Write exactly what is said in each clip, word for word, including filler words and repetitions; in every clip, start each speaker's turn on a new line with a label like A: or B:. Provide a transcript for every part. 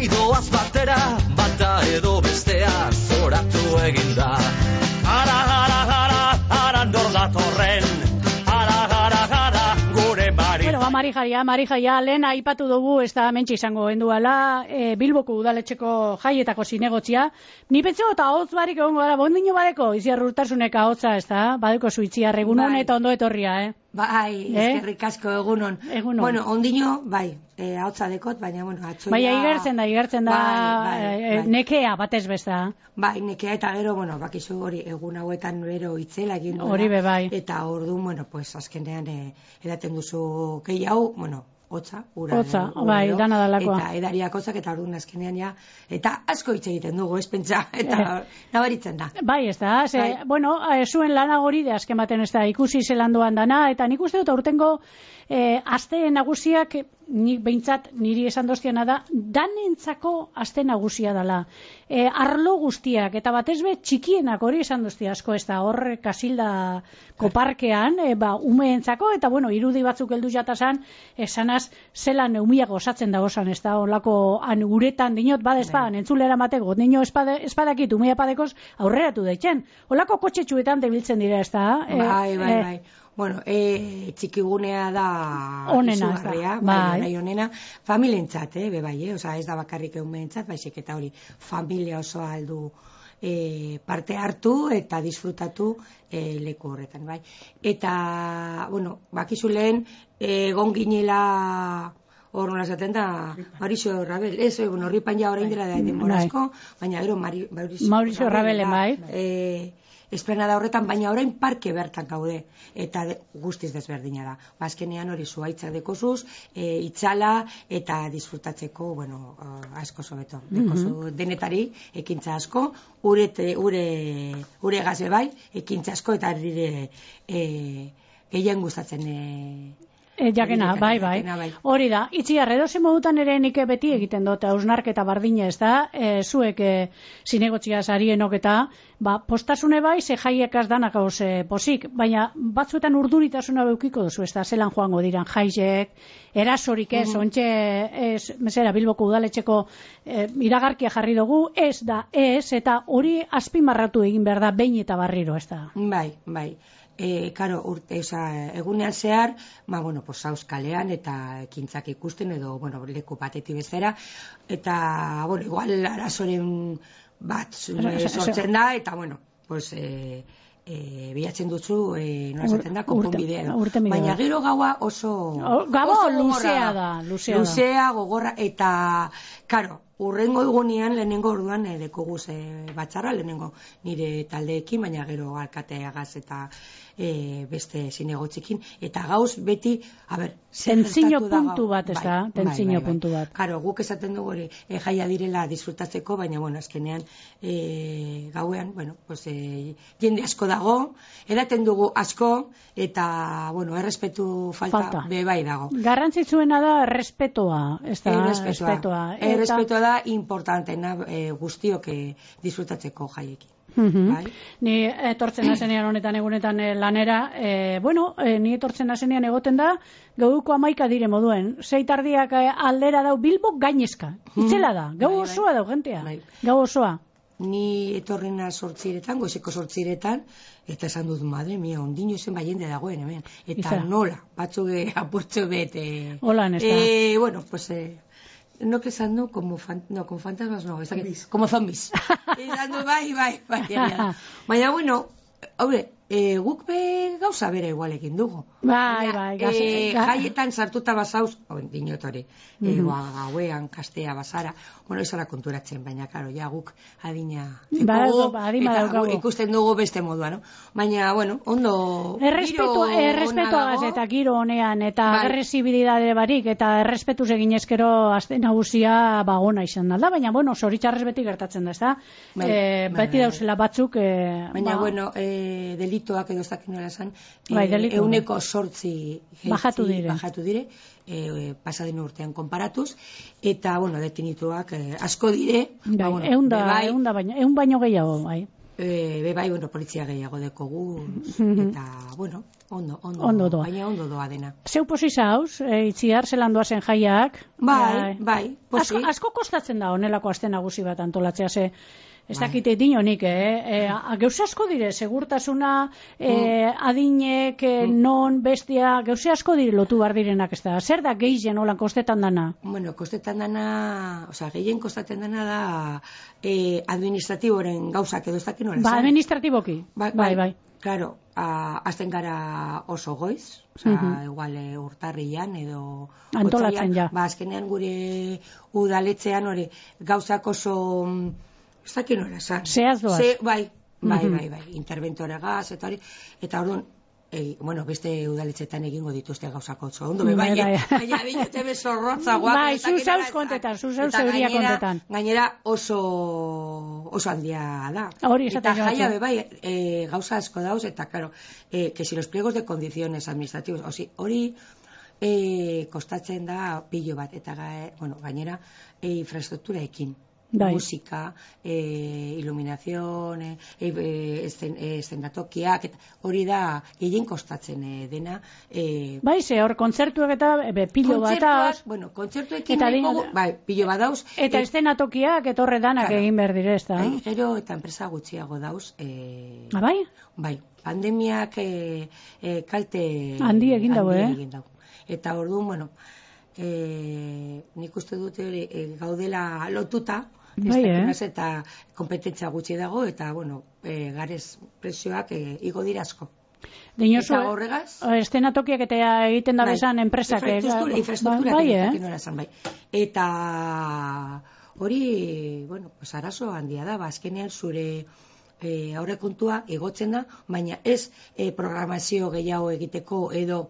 A: Baidoaz batera, bata edo bestea zoratu eginda. Ara, ara, ara, ara, nor datorren. Ara, ara, ara, gure mari.
B: Bueno, ba, Marijaia, Marijaia, lehen aipatu dugu, ez da mentxe izango genduala, e, Bilboko udaletxeko jaietako zinegotzia. Ni pentsa eta hotz barik egongo gara, bondino badeko, iziar urtasuneka hotza, ez da, badeko zuitziar egunon
C: bai.
B: Eta ondo etorria, eh?
C: Bai,
B: eh?
C: eskerrik asko egunon.
B: Egunon.
C: Bueno, ondino, bai, eh, hautza dekot, baina, bueno, atxoia...
B: Baina igertzen da, igertzen da,
C: bai, bai,
B: eh,
C: bai.
B: nekea batez besta.
C: Bai, nekea eta gero, bueno, bakizu hori egun hauetan bero itzela egin duela.
B: Hori be bai.
C: Eta orduan, bueno, pues azkenean eh, edaten duzu gehiago, bueno, hotza, ura.
B: Hotza,
C: ura,
B: bai,
C: ero,
B: dana dalakoa.
C: Eta edariak hotzak eta orduan azkenean ja, eta asko hitz egiten dugu, ez pentsa, eta nabaritzen da.
B: Bai, ez da, ze,
C: Bai.
B: bueno, eh, zuen lana hori de azken baten ez da, ikusi zelan doan dana, eta nik uste dut aurtengo eh, aste nagusiak, nik behintzat niri esan doztiana da, danentzako aste nagusia dela. E, arlo guztiak, eta batez be txikienak hori esan dozti asko, ez da, hor Kasilda koparkean, e, ba, umeentzako, eta bueno, irudi batzuk heldu jatazan, esanaz, zelan eumiak osatzen da osan, ez da, olako han uretan dinot, bada espadan, entzulera mateko, nino espade, espadakit, umea padekoz, aurreratu daitzen. Olako kotxetxuetan debiltzen dira, ez da. E,
C: Bai, bai,
B: e,
C: bai. Bueno, e, txikigunea da
B: onena,
C: izugarria,
B: bai,
C: bai, bai, onena, familientzat, eh, be bai, eh? Osa, ez da bakarrik eumeentzat, baizik eta hori, familia osoa aldu e, parte hartu eta disfrutatu e, leku horretan, bai. Eta, bueno, bakizu lehen, egon ginela... Hor nola zaten da, Mauricio Rabel, ez, egun horripan ja orain dela da denborazko, baina gero Mari, Mauricio,
B: Mauricio Rabel, bai.
C: E, esplanada horretan, baina orain parke bertan gaude, eta de, guztiz desberdina da. Bazkenean hori zuaitzak dekozuz, e, itzala eta disfrutatzeko, bueno, asko sobeto. Dekozu denetari, ekintza asko, ure, ure, ure gaze bai, ekintza asko eta dire e, gehien gustatzen e,
B: E, jakena, bai, bai.
C: bai.
B: Hori da, itziar, edozen modutan ere nik beti egiten dut, hausnarketa bardina ez da, e, zuek e, zinegotxia zarienok eta, ba, postasune bai, ze jaiekaz danak gauz e, posik, baina batzuetan urduritasuna beukiko duzu, ez da, zelan joango diran jaiek, erasorik ez, mm. ontxe, ez, mesera, Bilboko udaletxeko e, iragarkia jarri dugu, ez da, ez, eta hori azpimarratu egin behar da, behin eta barriro, ez da.
C: Bai, bai. E, karo, urte, oza, egunean zehar, ma, bueno, pues, hauz kalean eta ekintzak ikusten edo, bueno, leku bateti bezera, eta, bueno, igual arazoren bat e, sortzen da, eta, bueno, pues, e, e, bilatzen dutzu, e, nola zaten da, konponbidea edo. Baina gero gaua oso...
B: Gaua luzea da, luzea da.
C: Luzea, gogorra, eta, karo, urrengo egunean lehenengo orduan e, dekoguz e, batzarra, lehenengo nire taldeekin, baina gero alkateagaz eta e, beste zinegotzikin, eta gauz beti, a ber,
B: tentzino puntu bat, ez da, tentzino puntu bat.
C: Karo, guk esaten dugu hori, e, jaia direla disfrutatzeko, baina, bueno, azkenean e, gauean, bueno, pues, e, jende asko dago, edaten dugu asko, eta, bueno, errespetu falta, falta. Be bai dago.
B: Garrantzitsuena da errespetoa, ez da,
C: errespetoa. Errespetoa da importantena e, guztiok e, disfrutatzeko jaiekin.
B: Mm-hmm. Bai? Ni etortzen nazenean honetan egunetan e, lanera, e, bueno, e, ni etortzen nazenean egoten da, gauko amaika dire moduen, zeitardiak e, aldera dau Bilbo gainezka, itzela da, gau bai, osoa bai. Dau gentea, bai. Gau osoa.
C: Ni etorrena sortziretan, goizeko sortziretan, eta esan dut, madre mia, ondino zen bai jende dagoen hemen, eta Iza. Nola, batzuge apurtzu bete.
B: Holan ez da.
C: Eh, bueno, pues... Eh, no que esan du, como, fan, no, como fantasmas, no, es que, como zombies. Esan du, bai, bai, bai, bai. Baina, bueno, haure, e, guk be gauza bere igualekin dugu.
B: Bai, bai, gaze.
C: E, jaietan sartuta bazauz, oen, dinotori, mm -hmm. e, gauean, kastea, bazara, bueno, izala konturatzen, baina, karo, ja guk adina,
B: ba,
C: dugu,
B: ba, adima
C: eta gu, ikusten dugu beste modua, no? Baina, bueno, ondo,
B: errespetua, errespetuagaz eta giro honean, eta bai. Agresibilidade barik, eta errespetuz egin ezkero azte nagusia, ba, ona izan da, baina, bueno, zoritxarrez beti gertatzen da, ez da? Bai, e, bai, beti bai, dauzela batzuk, e,
C: baina,
B: ba,
C: bueno, e, delitoak edo ez dakit nola esan,
B: bai,
C: e, euneko sortzi
B: bajatu dire,
C: bajatu dire e, pasaden urtean konparatuz, eta, bueno, detinituak e, asko dire,
B: bai,
C: ba, bueno,
B: eunda,
C: bai,
B: eunda baino, eun baino gehiago, bai.
C: E, be bai, bueno, polizia gehiago dekogu, eta, bueno, Ondo, ondo,
B: ondo doa.
C: Baina ondo doa dena.
B: Zeu posi zauz, e, itziar, zelan doazen jaiak.
C: Bai,
B: e,
C: bai, posi.
B: Asko, asko kostatzen da honelako aste nagusi bat antolatzea, ze ez dakite dinonik, eh? E, gauze asko dire, segurtasuna, e, adinek, e, non, bestia, gauze asko dire lotu bar direnak, ez da. Zer da gehien holan kostetan dana?
C: Bueno, kostetan dana, osea, gehien kostatzen dana da eh, administratiboren gauzak edo ez dakin nola.
B: Ba, administratiboki.
C: Bai,
B: bai. bai.
C: Claro, azten gara oso goiz, osea, uh -huh. igual e, urtarrian edo
B: antolatzen ja.
C: Ba, azkenean gure udaletzean hori gauzak oso ez dakit nola esan.
B: Zehaz doaz.
C: Ze, bai, bai, uh -huh. bai, bai, interventore gaz, eta hori, eta orduan, e, bueno, beste udaletxetan egingo dituzte gauzako oso ondo, bai, baina, baina, binute bezorrotza guak.
B: Bai, zu zauz kontetan, zu zauz euria kontetan.
C: Gainera oso, oso handia da.
B: Hori
C: eta
B: esaten
C: jaia, be, bai, e, gauza asko dauz, eta, claro, e, que si los pliegos de condiciones administrativos, osi, hori, e, kostatzen da pilo bat, eta, ga, bueno, gainera, e, infrastruktura ekin. Dai. Musika, eh, iluminazion, eh, eh, eszenatokiak, hori da gehien kostatzen eh, dena. Eh,
B: bai, ze hor kontzertuak eta be, pilo bat dauz.
C: Bueno, kontzertuekin dago, bai, pilo bat dauz.
B: Eta eszenatokiak etorre danak claro, egin behar dire, ez da?
C: Bai, gero eta enpresa gutxiago dauz. Eh,
B: ah, bai?
C: Bai, pandemiak eh, eh, kalte...
B: Handi egin dago, eh?
C: Egin dago. Eta orduan, bueno, eh, nik uste dute hori eh, gaudela lotuta, bai, eh? Eta kompetentzia gutxi dago, eta, bueno, e, garez presioak e, igo dira asko.
B: Dinosu,
C: eta horregaz...
B: Eszenatokiak eta egiten da bezan enpresak.
C: Infrastruktura, infrastruktura
B: bai, eh?
C: bai. Eta hori, bueno, pues arazo handia da, azkenean zure e, aurrekontua igotzen da, baina ez e, programazio gehiago egiteko edo...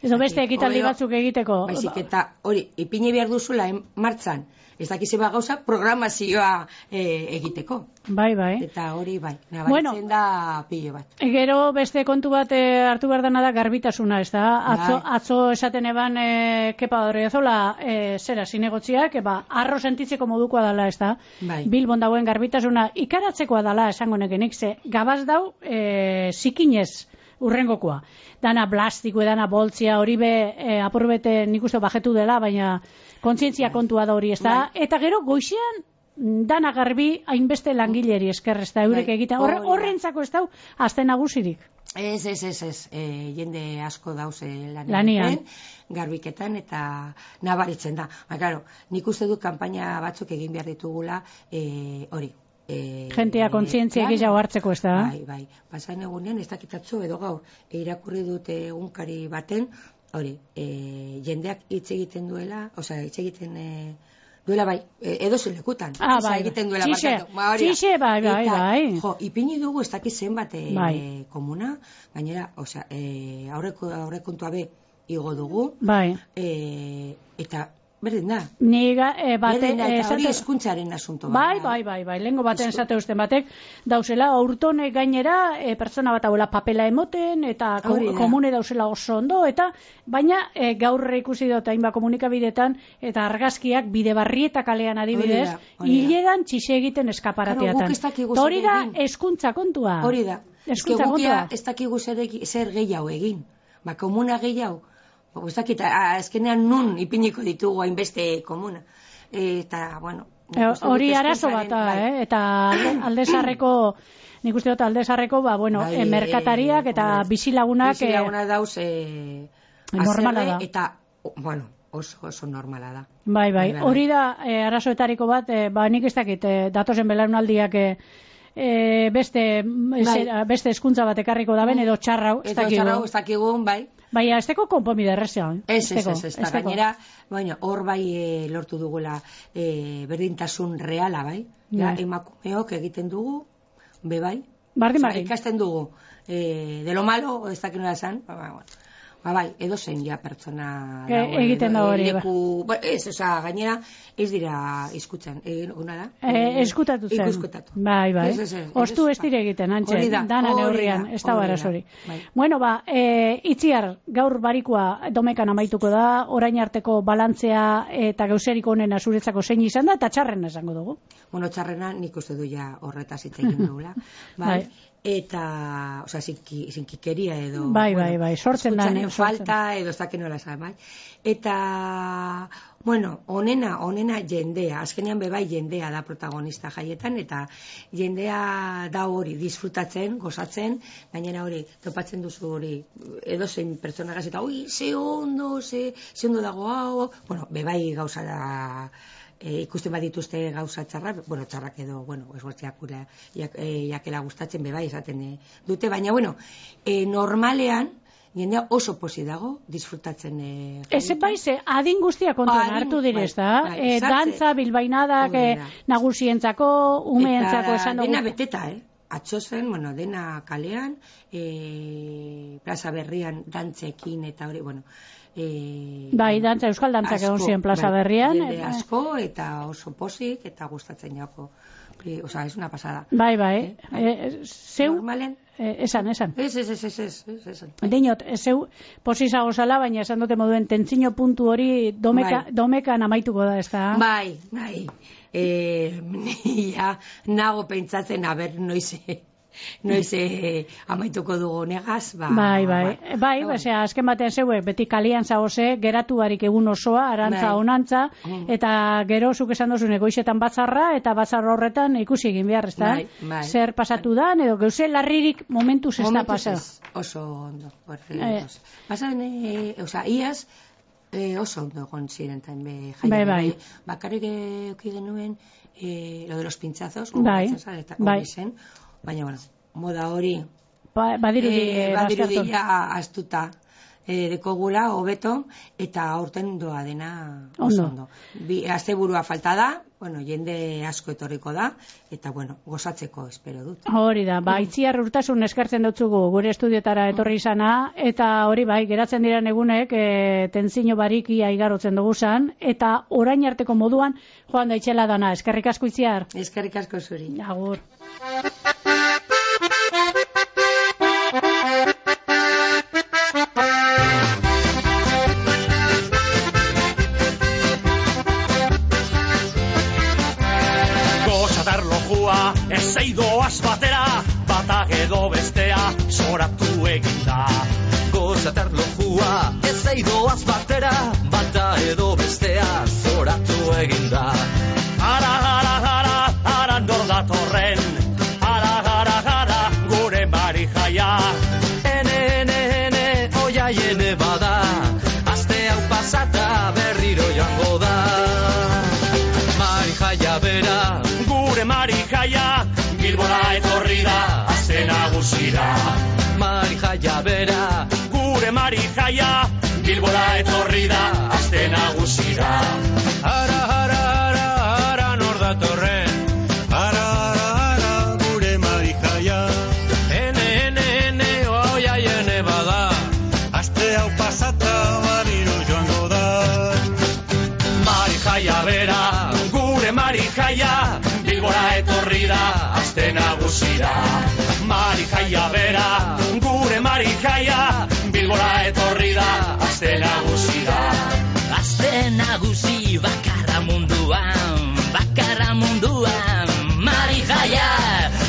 B: Edo beste ekitaldi batzuk egiteko.
C: Baizik eta hori, ipini behar duzula martzan, ez dakize ba gauza programazioa e, egiteko.
B: Bai, bai.
C: Eta hori bai, nabaritzen bueno, da pilo bat.
B: Gero beste kontu bat e, hartu behar dena da garbitasuna, ez da? Atzo, bai. atzo esaten eban, e, kepa Odriozola, e, zera, zinegotziak, eba, arro sentitzeko modukoa dala, ez da? Bai. Bilbon dagoen garbitasuna ikaratzekoa dala, esango nekenik, ze gabaz dau, e, zikinez, urrengokoa. Dana plastiko, dana boltzia, hori be, e, apurbete nik uste bajetu dela, baina kontzientzia kontua da hori, ez da? Bai. Eta gero, goizean, dana garbi, hainbeste langileri esker, ez da, eurek bai. egiten. Horrentzako ez da, azte nagusirik.
C: Ez, ez, ez, ez. E, jende asko dauze lanean.
B: Lanian.
C: Garbiketan, eta nabaritzen da. Ba, claro, nik uste du kanpaina batzuk egin behar ditugula, e, hori. E,
B: Gentea kontzientzia gehiago hartzeko, ez da?
C: Bai, bai. Pasan egunean, ez dakitatzu edo gaur, e, irakurri dute egunkari baten, hori, e, jendeak hitz egiten duela, osea, hitz egiten e, duela bai, e, edo zelekutan.
B: Ah, bai.
C: Egiten duela
B: Txixe,
C: ba,
B: txixe, bai, bai,
C: eta,
B: bai.
C: Jo, ipini dugu ez dakiz zenbat e,
B: bai.
C: komuna, gainera, osea, e, aurreko, aurrekontua be igo dugu,
B: bai.
C: E, eta berdin da.
B: Niga, e, bate,
C: berdin da, eta
B: esate...
C: hori eskuntzaren asunto.
B: Bai, bai, bai, bai, lehenko baten esate usten batek, dauzela, aurtone gainera, e, pertsona bat hauela papela emoten, eta ko, komune dauzela oso ondo, eta baina e, gaur ikusi dut hainba komunikabidetan, eta argazkiak bide barrieta kalean adibidez, hileran txixe egiten eskaparateatan. Hori da, eskuntza kontua.
C: Hori da.
B: Eskuntza kontua.
C: Ez dakigu zer, zer gehiago egin. Ba, komuna gehiago. Ez dakit, azkenean nun ipiniko ditugu hainbeste komuna. Eta, bueno...
B: Hori arazo bat, eh? Eta aldezarreko, nik uste dut aldezarreko, ba, bueno, bai, merkatariak eta bizilagunak...
C: Bizilagunak dauz... Eh,
B: normala da.
C: Eta, bueno, oso, oso normala da.
B: Bai, bai, hori da eh, arazoetariko bat, eh, ba, nik ez dakit, eh, datozen belaunaldiak... Eh, E, beste bai. zera, beste hezkuntza bat ekarriko da ben edo txarrau
C: ez dakigu. Edo txarrau ez dakigu, bai.
B: Baina ez teko konponbide errezea.
C: Ez, ez, ez, ez, ez gainera, bueno, hor bai e, lortu dugula e, berdintasun reala, bai. Ja, emakumeok egiten dugu, be bai.
B: Bardin, bardin.
C: Ikasten dugu, e, de lo malo, ez dakit nola esan, ba, ba, ba, bai, edo zen ja pertsona
B: e, dago, egiten da hori.
C: Leku, ba. Ez, oza, gainera, ez dira izkutzen, eguna da?
B: E, eskutatu zen.
C: Ikuskutatu.
B: Bai, bai. Ostu ez dire egiten, antxe, dana neurrian, ez da barazori. Bai. Bueno, ba, e, itziar, gaur barikoa domekan amaituko da, orain arteko balantzea eta gauzerik honen azuretzako zein izan da, eta txarrena esango dugu.
C: Bueno, txarrena nik uste du ja horretaz hitz egin dugula. Bai. eta, oza, zinki, zinkikeria edo...
B: Bai, bai, bai, sortzen da.
C: falta edo ez dakit nola esan, bai. Eta, bueno, onena, onena jendea, azkenean bebai jendea da protagonista jaietan, eta jendea da hori, disfrutatzen, gozatzen, gainera hori, topatzen duzu hori, edo zein pertsona gaz, eta, ui, ze ondo, ze, ze ondo dago hau, bueno, bebai gauza da, e, ikusten badituzte gauza txarrak, bueno, txarrak edo, bueno, esbortziakura, jak, e, jakela gustatzen bebai esaten e, dute, baina, bueno, e, normalean, jendea oso posi dago, disfrutatzen... E,
B: Eze bai, ze adin guztia kontuan
C: Adin,
B: hartu direz, da?
C: bai, bai,
B: E, dantza, bilbainadak, e, nagusientzako, umeentzako esan dugu.
C: Eta dena beteta, eh? Atzo zen, bueno, dena kalean, e, plaza berrian dantzekin eta hori, bueno... E,
B: bai, dantza, euskal dantzak egon ziren plaza
C: bai,
B: berrian.
C: Jende
B: eta...
C: asko eta oso posik eta gustatzen jako. O sea, es una pasada.
B: Bai, bai.
C: Eh?
B: E, zeu...
C: Normalen...
B: Eh, esan, esan.
C: Ez, ez, ez, ez, ez, ez, ez.
B: Dinot, zeu posizago zala, baina esan dute moduen tentzino puntu hori domeka,
C: bai.
B: domekan amaituko da, ez da?
C: Bai, bai. E, ja, nago pentsatzen, aber, noiz, noiz e, amaituko dugu negaz, ba...
B: Bai, bai,
C: ba,
B: bai,
C: ba,
B: osea, azken batean zeuek, beti kalian zaoze, geratu barik egun osoa, arantza
C: bai.
B: onantza,
C: Mm.
B: eta gero zuk esan dozun egoizetan batzarra, eta batzarra horretan ikusi egin behar, ez da?
C: Bai, bai.
B: Zer pasatu dan, edo geuze larririk momentuz ez da
C: Momentuz
B: pasa.
C: ez, oso ondo.
B: Eh.
C: Pasan, e, oza, iaz, e, oso ondo egon ziren taen be jaia.
B: Bai, bai.
C: Bakarrik euki genuen, e, lo de los pinchazos,
B: Bai,
C: gogoratzen zara, eta
B: bai.
C: hori zen, baina, bueno, moda hori,
B: Ba, badirudi,
C: e,
B: eh,
C: badirudi
B: baztertu.
C: ja astuta e, dekogula, hobeto, eta aurten doa dena oso
B: Ondo.
C: ondo. Bi, asteburua falta da, bueno, jende asko etorriko da, eta, bueno, gozatzeko espero dut.
B: Hori da, ba, itziar urtasun eskertzen dutzugu gure estudiotara etorri izana, eta hori bai, geratzen diren egunek, e, tentzino barikia igarotzen dugu zan, eta orain arteko moduan, joan da itxela dana, eskerrik asko itziar.
C: Eskerrik asko zuri.
B: Agur.
A: Ez eidoaz batera, batak edo bestea, zoratu eginda. Gozatar lojua, ez eidoaz batera, bata edo bestea, zoratu eginda. Ara, ara, ara, ara, nor datorren, ara, ara, ara, gure mari jaia. Ene, ene, ene, oia jene bada, aste hau pasata berriro joango da. Mari jaia bera, gure mari jaia, Bilbora etorri da, aste nagusira. Mari jaia bera, gure mari jaia, Bilbora etorri da, aste nagusira.
D: Ara, ara, ara, ara, nor datorren, ara, ara, ara, gure mari jaia. Ene, ene, ene, oia jene bada, aste hau pasata barriro joango da.
A: Mari jaia bera, gure mari jaia, Bilbora etorri da, aste nagusira.